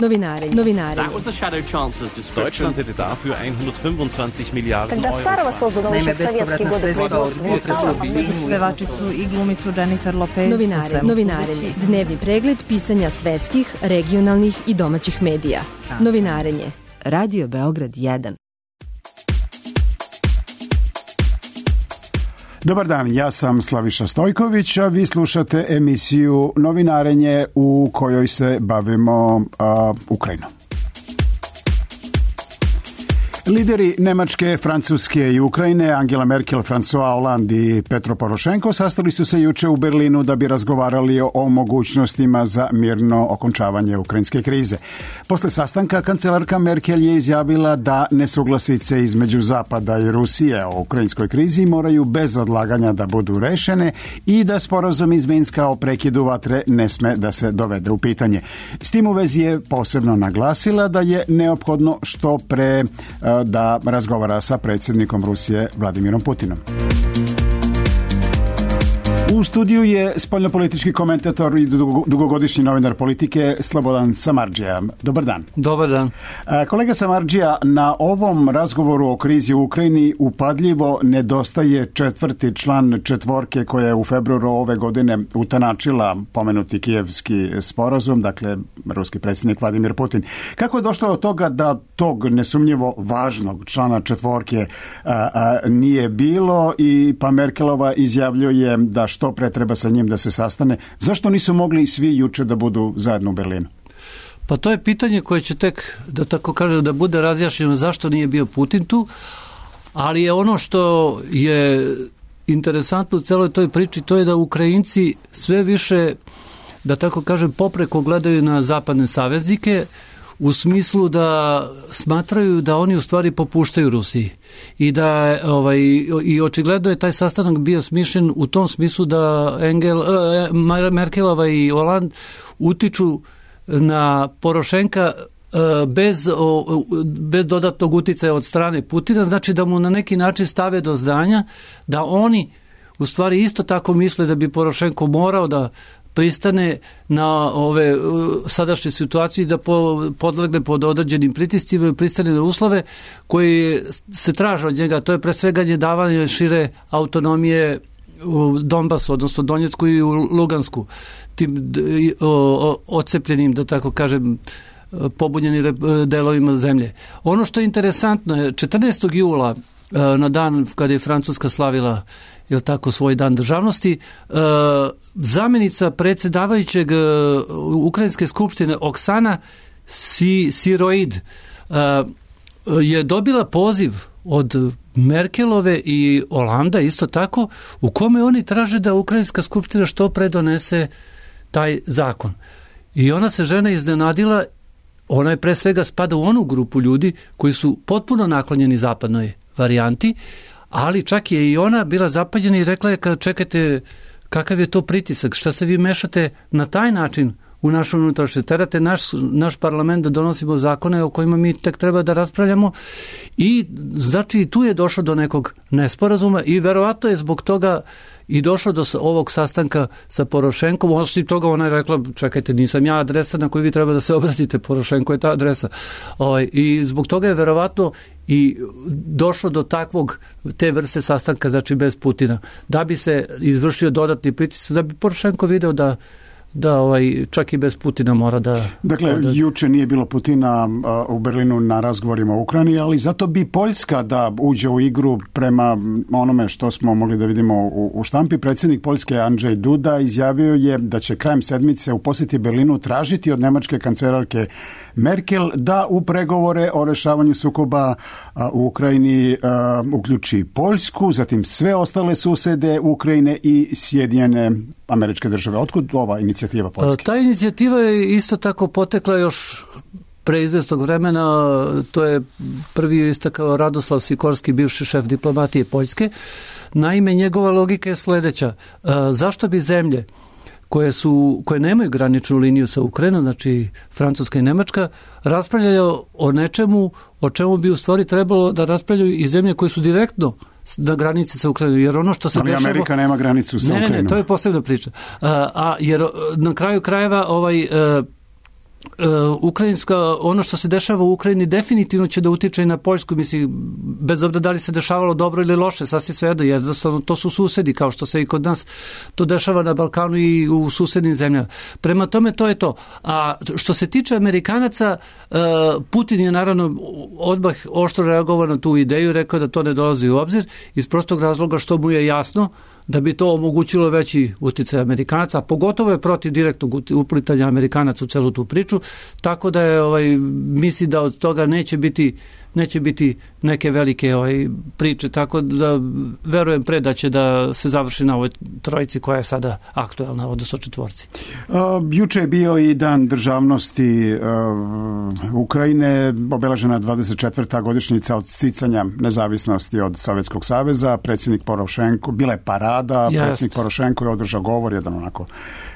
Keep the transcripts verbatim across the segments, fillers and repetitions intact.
Novinarenje. Novinarenje. Deutschland hätte dafür hundertfünfundzwanzig Miliarden Euro. Naime, bespovratna sredstva od potresa u Sinju. Pevačicu i glumicu Jennifer Lopez. Novinarenje. Novinarenje. Dnevni pregled pisanja svetskih, regionalnih i domaćih medija. Novinarenje. Radio Beograd jedan. Dobar dan, ja sam Slaviša Stojković, a vi slušate emisiju Novinarenje u kojoj se bavimo a, Ukrajinom. Lideri Nemačke, Francuske i Ukrajine, Angela Merkel, François Hollande i Petro Porošenko sastali su se juče u Berlinu da bi razgovarali o mogućnostima za mirno okončavanje ukrajinske krize. Posle sastanka kancelarka Merkel je izjavila da nesuglasice između Zapada i Rusije o ukrajinskoj krizi moraju bez odlaganja da budu rešene i da sporazum iz Minska o prekidu vatre ne sme da se dovede u pitanje. S tim u vezi je posebno naglasila da je neophodno što pre da razgovara sa predsjednikom Rusije Vladimirom Putinom. U studiju je spoljnopolitički komentator i dugogodišnji novinar politike Slobodan Samardžija. Dobar dan. Dobar dan. Kolega Samardžija, na ovom razgovoru o krizi u Ukrajini upadljivo nedostaje četvrti član četvorke koja je u februaru ove godine utanačila pomenuti kijevski sporazum, dakle ruski predsjednik Vladimir Putin. Kako je došlo od toga da tog nesumnjivo važnog člana četvorke a, a, nije bilo i pa Merkelova izjavljuje da što pre treba sa njim da se sastane? Zašto nisu mogli svi juče da budu zajedno u Berlinu? Pa to je pitanje koje će tek, da tako kažem, da bude razjašnjeno zašto nije bio Putin tu, ali je ono što je interesantno u celoj toj priči, to je da Ukrajinci sve više, da tako kažem, popreko gledaju na zapadne saveznike, u smislu da smatraju da oni u stvari popuštaju Rusiji i da ovaj i očigledno je taj sastanak bio smišljen u tom smislu da Engel, eh, Merkelova i Hollande utiču na Porošenka eh, bez, o, bez dodatnog uticaja od strane Putina, znači da mu na neki način stave do znanja da oni u stvari isto tako misle da bi Porošenko morao da pristane na ove sadašnje situacije, da podlegne pod određenim pritiscima i pristane na uslove koji se traže od njega. To je pre svega davanje šire autonomije u Donbasu, odnosno Donjecku i u Lugansku, tim odcepljenim, da tako kažem, pobunjeni delovima zemlje. Ono što je interesantno je četrnaestog jula, na dan kada je Francuska slavila, je tako, svoj dan državnosti, zamjenica predsjedavajućeg Ukrajinske skupštine Oksana Siroid je dobila poziv od Merkelove i Holanda isto tako, u kome oni traže da Ukrajinska skupština što pre donese taj zakon. I ona se žena iznenadila, ona je pre svega spada u onu grupu ljudi koji su potpuno naklonjeni zapadnoj varijanti, ali čak je i ona bila zapaljena i rekla je, čekajte, kakav je to pritisak, šta se vi mešate na taj način u našu unutrašnje, terate naš, naš parlament da donosimo zakone o kojima mi tek treba da raspravljamo i znači tu je došlo do nekog nesporazuma i verovatno je zbog toga i došlo do ovog sastanka sa Porošenkom. Osim toga ona je rekla, čekajte, nisam ja adresa na koju vi treba da se obratite, Porošenko je ta adresa. Ovaj, i zbog toga je verovatno i došlo do takvog, te vrste sastanka, znači bez Putina, da bi se izvršio dodatni pritisak, da bi Porošenko video da da ovaj, čak i bez Putina mora da... Dakle, da... juče nije bilo Putina uh, u Berlinu na razgovorima u Ukrajini, ali zato bi Poljska da uđe u igru prema onome što smo mogli da vidimo u, u štampi. Predsjednik Poljske Andrzej Duda izjavio je da će krajem sedmice u posjeti Berlinu tražiti od nemačke kancelarke Merkel da u pregovore o rešavanju sukoba uh, u Ukrajini uh, uključi Poljsku, zatim sve ostale susede Ukrajine i Sjedinjene Američke države. Otkud ova inicijativa Poljske? Ta inicijativa je isto tako potekla još pre izvjesnog vremena. To je prvi istakao Radoslav Sikorski, bivši šef diplomatije Poljske. Naime, njegova logika je sljedeća. Zašto bi zemlje koje su, koje nemaju graničnu liniju sa Ukrajinom, znači Francuska i Nemačka, raspravljaju o nečemu o čemu bi u stvari trebalo da raspravljaju i zemlje koje su direktno na granici sa Ukrajinom, jer ono što se ali dešava... Amerika nema granicu sa ne, Ukrajinom. Ne, ne, to je posebna priča. A, a jer na kraju krajeva ovaj... ukrajinska, ono što se dešava u Ukrajini definitivno će da utiče i na Poljsku, mislim, bez obzira da li se dešavalo dobro ili loše, sasvim svejedno, jednostavno to su susedi, kao što se i kod nas to dešava na Balkanu i u susednim zemljama. Prema tome to je to. A što se tiče Amerikanaca, Putin je naravno odmah oštro reagovao na tu ideju, rekao da to ne dolazi u obzir, iz prostog razloga što mu je jasno da bi to omogućilo veći uticaj Amerikanaca, a pogotovo je protiv direktnog uplitanja Amerikanaca u celu tu priču, tako da je, ovaj, misli da od toga neće biti neće biti neke velike ovaj, priče, tako da verujem pre da će da se završi na ovoj trojici koja je sada aktuelna, odnosno četvorci. Uh, juče je bio i dan državnosti uh, Ukrajine, obeležena dvadeset četvrta godišnjica od sticanja nezavisnosti od Sovjetskog saveza, predsjednik Porošenko, bila je parada, Just. predsjednik Porošenko je održao govor, jedan onako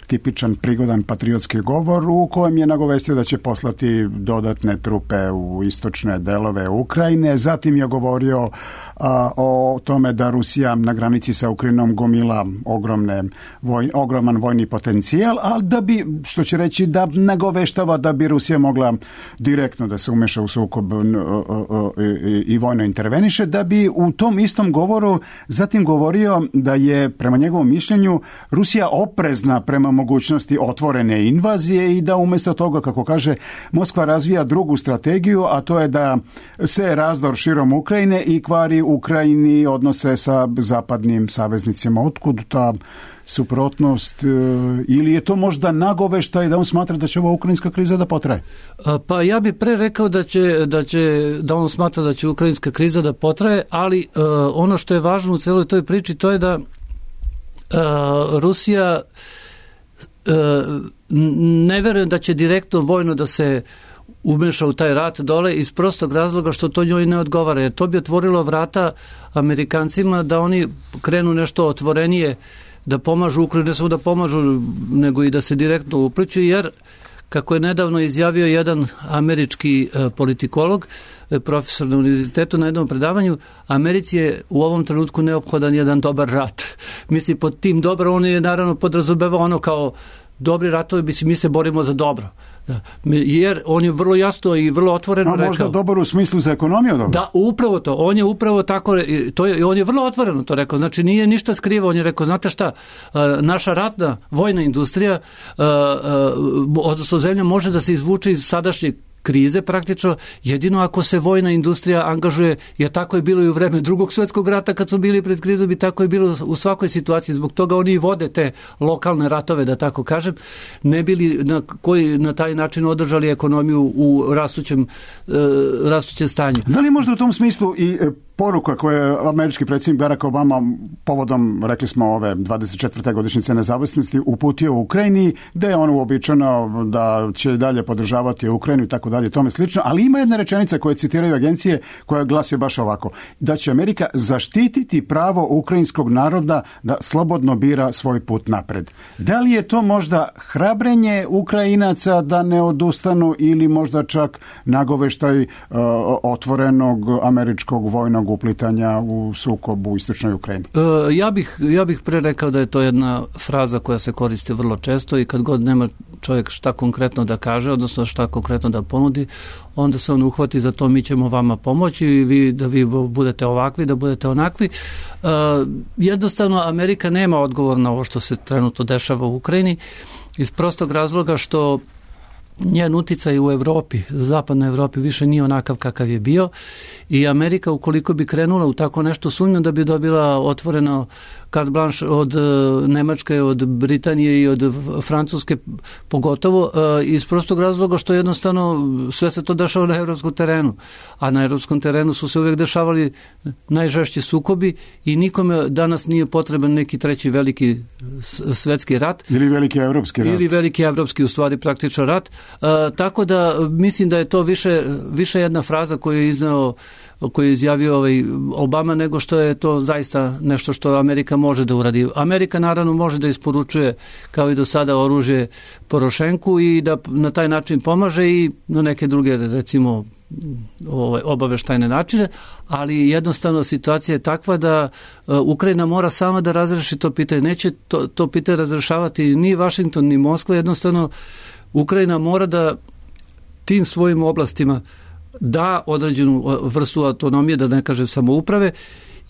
tipičan, prigodan patriotski govor u kojem je nagovestio da će poslati dodatne trupe u istočne delove Ukrajine. Zatim je govorio a, o tome da Rusija na granici sa Ukrajinom gomila ogromne, voj, ogroman vojni potencijal, ali da bi, što će reći, da nagoveštava da bi Rusija mogla direktno da se umeša u sukob i, i vojno interveniše, da bi u tom istom govoru zatim govorio da je, prema njegovom mišljenju, Rusija oprezna prema mogućnosti otvorene invazije i da umjesto toga, kako kaže, Moskva razvija drugu strategiju, a to je da se razdor širom Ukrajine i kvari Ukrajini odnose sa zapadnim saveznicima. Otkud ta suprotnost, ili je to možda nagoveštaj da on smatra da će ova ukrajinska kriza da potraje? Pa ja bih pre rekao da će, da će da on smatra da će ukrajinska kriza da potraje, ali uh, ono što je važno u celoj toj priči to je da uh, Rusija uh, ne verujem da će direktno vojno da se umeša u taj rat dole iz prostog razloga što to njoj ne odgovara, jer to bi otvorilo vrata Amerikancima da oni krenu nešto otvorenije, da pomažu Ukrajini, ne samo da pomažu, nego i da se direktno upliću, jer kako je nedavno izjavio jedan američki e, politikolog, e, profesor na univerzitetu na jednom predavanju, Americi je u ovom trenutku neophodan jedan dobar rat. Misli, pod tim dobro, on je naravno podrazumevao ono kao dobri ratovi, bi mi se borimo za dobro. Da. Jer on je vrlo jasno i vrlo otvoreno rekao. A možda dobar u smislu za ekonomiju dobro? Da, upravo to. On je upravo tako, to je, on je vrlo otvoreno to rekao. Znači nije ništa skrivao, on je rekao, znate šta, naša ratna vojna industrija, odnosno zemlja može da se izvuče iz sadašnjeg krize praktično jedino ako se vojna industrija angažuje, jer tako je bilo i u vreme Drugog svjetskog rata kad su bili pred krizom i tako je bilo u svakoj situaciji. Zbog toga oni i vode te lokalne ratove, da tako kažem, ne bili na, koji na taj način održali ekonomiju u rastućem, e, rastućem stanju. Da li možda u tom smislu i poruka koju je američki predsjednik Barack Obama povodom, rekli smo, ove dvadeset četvrte godišnjice nezavisnosti uputio u Ukrajini, da je on uobičajeno da će dalje podržavati Ukrajinu i tako dalje, tome slično, ali ima jedna rečenica koju citiraju agencije koja glasi baš ovako, da će Amerika zaštititi pravo ukrajinskog naroda da slobodno bira svoj put napred. Da li je to možda hrabrenje Ukrajinaca da ne odustanu ili možda čak nagoveštaj uh, otvorenog američkog vojnog uplitanja u sukob u istočnoj Ukrajini? E, ja bih, ja bih pre rekao da je to jedna fraza koja se koristi vrlo često i kad god nema čovjek šta konkretno da kaže, odnosno šta konkretno da ponudi, onda se on uhvati za to, mi ćemo vama pomoći i vi, da vi budete ovakvi, da budete onakvi. E, jednostavno Amerika nema odgovor na ovo što se trenutno dešava u Ukrajini iz prostog razloga što njen uticaj u Evropi, zapadnoj Evropi više nije onakav kakav je bio i Amerika ukoliko bi krenula u tako nešto, sumnjam da bi dobila otvoreno carte blanche od Nemačke, od Britanije i od Francuske pogotovo, iz prostog razloga što jednostavno sve se to dešava na evropskom terenu, a na evropskom terenu su se uvijek dešavali najžešći sukobi i nikome danas nije potreban neki treći veliki svetski rat. Ili veliki evropski rat. Ili veliki evropski, u stvari praktično rat. Uh, tako da mislim da je to više, više jedna fraza koju je iznao, koju je izjavio ovaj Obama, nego što je to zaista nešto što Amerika može da uradi. Amerika naravno može da isporučuje kao i do sada oružje Porošenku i da na taj način pomaže i na neke druge, recimo, ovaj, obaveštajne načine, ali jednostavno situacija je takva da uh, Ukrajina mora sama da razreši to pitanje. Neće to, to pitanje razrešavati ni Washington ni Moskva, jednostavno Ukrajina mora da tim svojim oblastima da određenu vrstu autonomije, da ne kažem samouprave,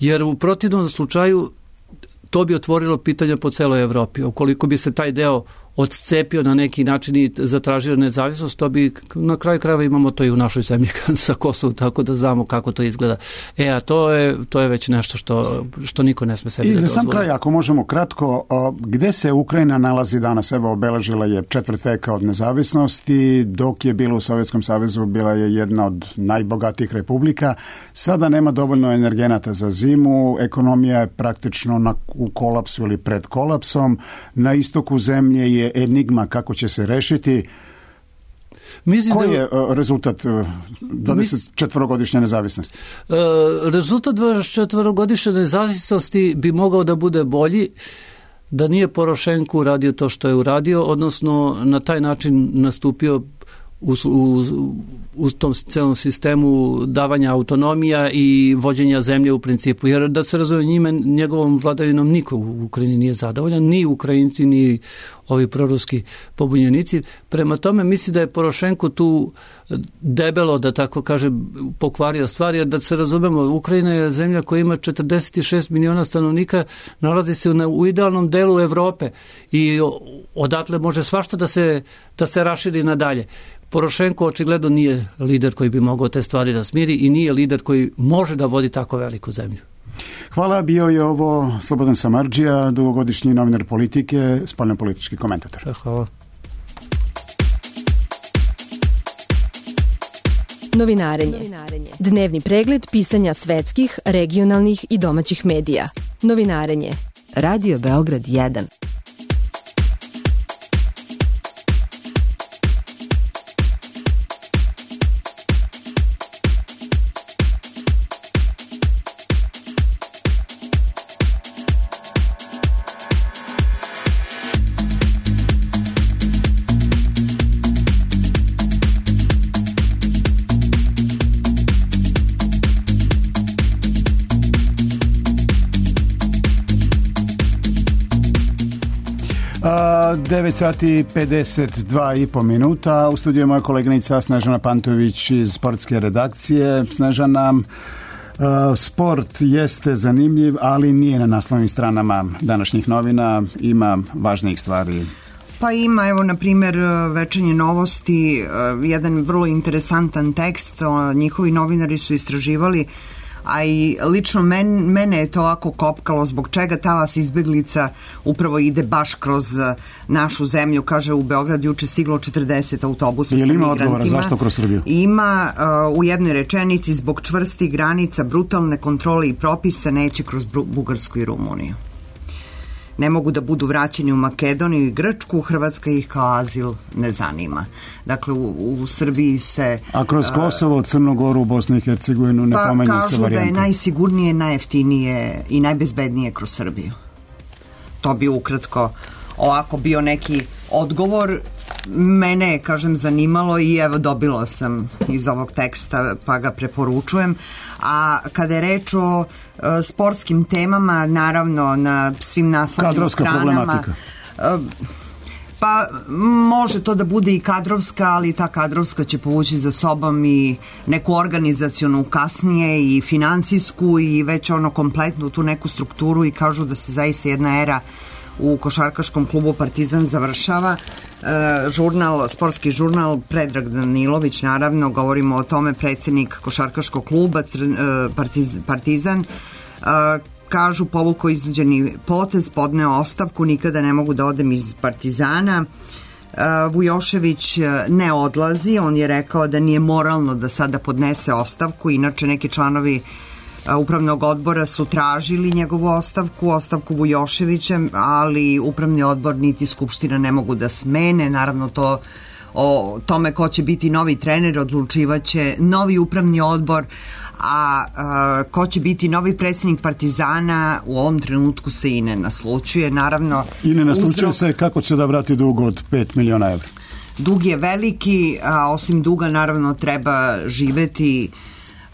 jer u protivnom slučaju to bi otvorilo pitanja po celoj Evropi. Ukoliko bi se taj deo odcepio na neki način i zatražio nezavisnost, to bi na kraju krajeva imamo to i u našoj zemlji sa Kosovom, tako da znamo kako to izgleda. E, a to je, to je već nešto što, što niko ne sme sebi da dozvoli. I za sam kraj, ako možemo kratko, gde se Ukrajina nalazi danas? Evo, obeležila je četvrt veka od nezavisnosti, dok je bila u Sovjetskom savezu, bila je jedna od najbogatijih republika. Sada nema dovoljno energenata za zimu, ekonomija je praktično na, u kolapsu ili pred kolapsom. Na istoku zemlje je enigma kako će se rešiti. Mislim Koji da, je uh, rezultat uh, dvadeset četvorogodišnje nezavisnosti? Uh, rezultat dvadeset četvorogodišnje nezavisnosti bi mogao da bude bolji da nije Porošenko uradio to što je uradio, odnosno na taj način nastupio u, u, u tom celom sistemu davanja autonomija i vođenja zemlje u principu. Jer da se razumije, njime, njegovom vladavinom niko u Ukrajini nije zadovoljan, ni Ukrajinci, ni ovi proruski pobunjenici. Prema tome misli da je Porošenko tu debelo, da tako kaže, pokvario stvari, jer da se razumemo, Ukrajina je zemlja koja ima četrdeset šest miliona stanovnika, nalazi se u idealnom delu Evrope i odatle može svašta da se, da se raširi nadalje. Porošenko očigledno nije lider koji bi mogao te stvari da smiri i nije lider koji može da vodi tako veliku zemlju. Hvala, bio je ovo Slobodan Samardžija, dugogodišnji novinar Politike, spoljnopolitički komentator. Hvala. Novinarenje. Dnevni pregled pisanja svetskih, regionalnih i domaćih medija. Novinarenje. Radio Beograd jedan. devet sati pedeset dva i po minuta. U studiju je moja koleginica Snežana Pantović iz sportske redakcije. Snežana, uh, sport jeste zanimljiv, ali nije na naslovnim stranama današnjih novina. Ima važnijih stvari. Pa ima, evo, na primjer, Večernje novosti, jedan vrlo interesantan tekst. Njihovi novinari su istraživali, a i lično men, mene je to ovako kopkalo zbog čega talas izbeglica upravo ide baš kroz našu zemlju. Kaže, u Beograd juče stiglo četrdeset autobusa sa migrantima. Ima odgovora zašto kroz Srbiju? Ima uh, u jednoj rečenici zbog čvrstih granica, brutalne kontrole i propisa neće kroz Bugarsku i Rumuniju. Ne mogu da budu vraćeni u Makedoniju i Grčku, Hrvatska ih kao azil ne zanima. Dakle, u, u Srbiji se... A kroz Kosovo, Crnogoru, Bosnu i Hercegovinu ne pomenju se varijante? Pa kažu da je najsigurnije, najjeftinije i najbezbednije kroz Srbiju. To bi ukratko ovako bio neki odgovor. Mene je, kažem, zanimalo i evo dobila sam iz ovog teksta pa ga preporučujem. A kada je reč o uh, sportskim temama, naravno na svim naslovnim stranama... problematika. Uh, pa može to da bude i kadrovska, ali ta kadrovska će povući za sobom i neku organizacionu kasnije i finansijsku i već ono kompletnu tu neku strukturu i kažu da se zaista jedna era u košarkaškom klubu Partizan završava. E, žurnal, sportski žurnal Predrag Danilović, naravno, govorimo o tome, predsjednik košarkaškog kluba Crn, e, Partiz, Partizan, e, kažu povukao iznuđeni potez, podneo ostavku, nikada ne mogu da odem iz Partizana. E, Vujošević ne odlazi, on je rekao da nije moralno da sada podnese ostavku, inače neki članovi upravnog odbora su tražili njegovu ostavku, ostavku Vujoševića, ali upravni odbor niti skupština ne mogu da smene. Naravno, to o tome ko će biti novi trener odlučivaće novi upravni odbor, a, a ko će biti novi predsjednik Partizana u ovom trenutku se i ne naslučuje. Naravno, I ne naslučuje uzrok... se kako će da vrati dug od pet miliona evra. Dug je veliki, a osim duga naravno treba živeti.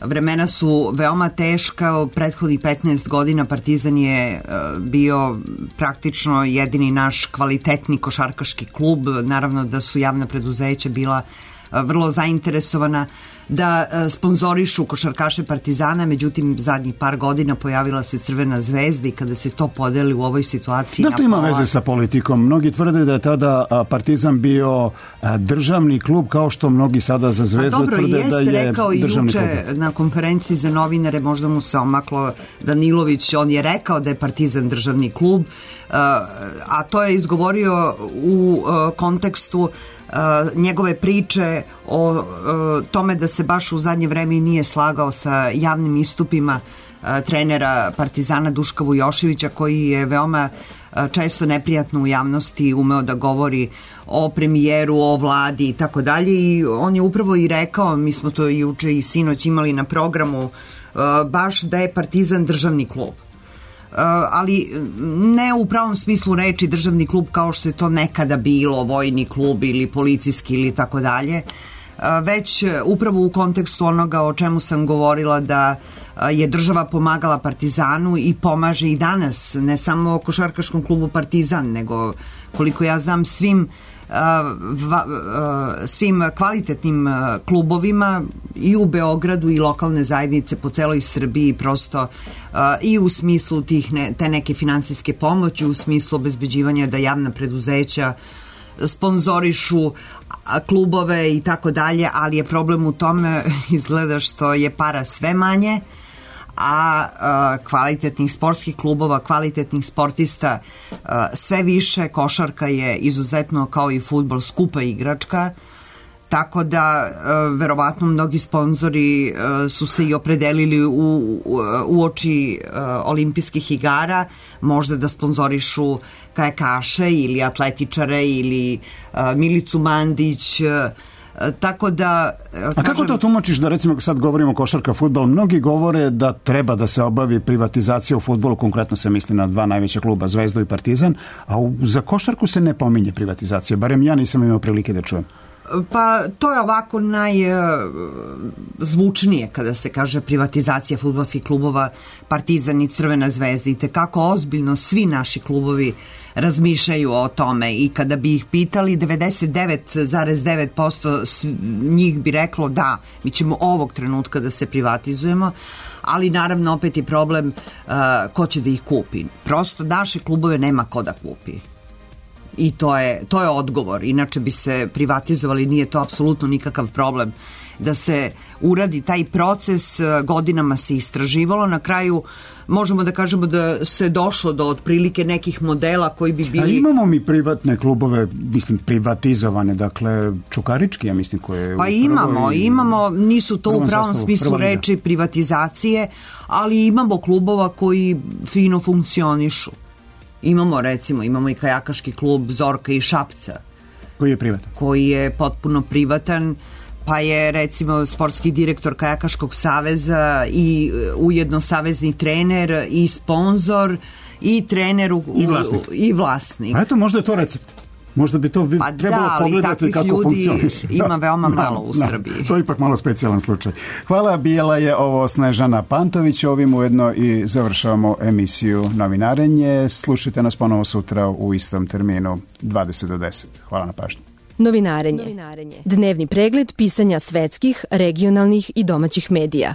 Vremena su veoma teška, prethodnih petnaest godina Partizan je bio praktično jedini naš kvalitetni košarkaški klub, naravno da su javna preduzeća bila vrlo zainteresovana da sponzorišu košarkaše Partizana, međutim zadnjih par godina pojavila se Crvena zvezda i kada se to podeli u ovoj situaciji... Da, to ima veze sa politikom. Mnogi tvrde da je tada Partizan bio državni klub, kao što mnogi sada za Zvezdu dobro, tvrde jeste, da je rekao državni klub. Juče na konferenciji za novinare, možda mu se omaklo Danilović, on je rekao da je Partizan državni klub, a to je izgovorio u kontekstu njegove priče o tome da se baš u zadnje vreme nije slagao sa javnim istupima trenera Partizana Duška Vujoševića, koji je veoma često neprijatno u javnosti umeo da govori o premijeru, o vladi i tako dalje, i on je upravo i rekao, mi smo to juče i sinoć imali na programu, baš da je Partizan državni klub. Ali ne u pravom smislu reči državni klub kao što je to nekada bilo, vojni klub ili policijski ili tako dalje, već upravo u kontekstu onoga o čemu sam govorila, da je država pomagala Partizanu i pomaže i danas, ne samo košarkaškom klubu Partizan, nego koliko ja znam svim svim kvalitetnim klubovima i u Beogradu i lokalne zajednice po celoj Srbiji, prosto i u smislu tih ne, te neke finansijske pomoći, u smislu obezbeđivanja da javna preduzeća sponzorišu klubove i tako dalje, ali je problem u tome izgleda što je para sve manje, a, a kvalitetnih sportskih klubova, kvalitetnih sportista a, sve više. Košarka je izuzetno, kao i fudbal, skupa igračka, tako da a, verovatno mnogi sponzori a, su se i opredelili u, u, u oči a, olimpijskih igara možda da sponzorišu kajakaše ili atletičare ili a, Milicu Mandić, a, tako da... A kažem, kako to tumačiš da, recimo, sad govorimo košarka, fudbal, mnogi govore da treba da se obavi privatizacija u fudbalu, konkretno se misli na dva najveća kluba, Zvezdu i Partizan, a u, za košarku se ne pominje privatizacija, barem ja nisam imao prilike da čujem. Pa to je ovako najzvučnije kada se kaže privatizacija fudbalskih klubova, Partizan i Crvena zvezda, i tekako ozbiljno svi naši klubovi razmišljaju o tome, i kada bi ih pitali, devedeset devet zarez devet posto njih bi reklo da, mi ćemo ovog trenutka da se privatizujemo, ali naravno opet je problem uh, ko će da ih kupi. Prosto naše klubove nema ko da kupi. I to je, to je odgovor. Inače bi se privatizovali, nije to apsolutno nikakav problem da se uradi taj proces, godinama se istraživalo, na kraju možemo da kažemo da se došlo do otprilike nekih modela koji bi bili... A imamo mi privatne klubove, mislim, privatizovane, dakle, Čukarički, ja mislim, koje... Pa imamo, i... imamo, nisu to u pravom sastavu, smislu reči privatizacije, ali imamo klubova koji fino funkcionišu. Imamo, recimo, imamo i kajakaški klub Zorka i Šapca. Koji je privatan? Koji je potpuno privatan, pa je, recimo, sportski direktor Kajakaškog saveza i ujedno savezni trener i sponzor i trener u, i vlasnik. U, i vlasnik. A eto, možda je to recept. Možda bi to pa trebalo da, pogledati kako funkcioniše. Ima veoma da, malo u da, Srbiji. To je ipak malo specijalan slučaj. Hvala, bila je ovo Snežana Pantović. Ovim ujedno i završavamo emisiju Novinarenje. Slušajte nas ponovo sutra u istom terminu dvadeset do deset. Hvala na pažnju. Novinarenje. Novinarenje. Dnevni pregled pisanja svetskih, regionalnih i domaćih medija.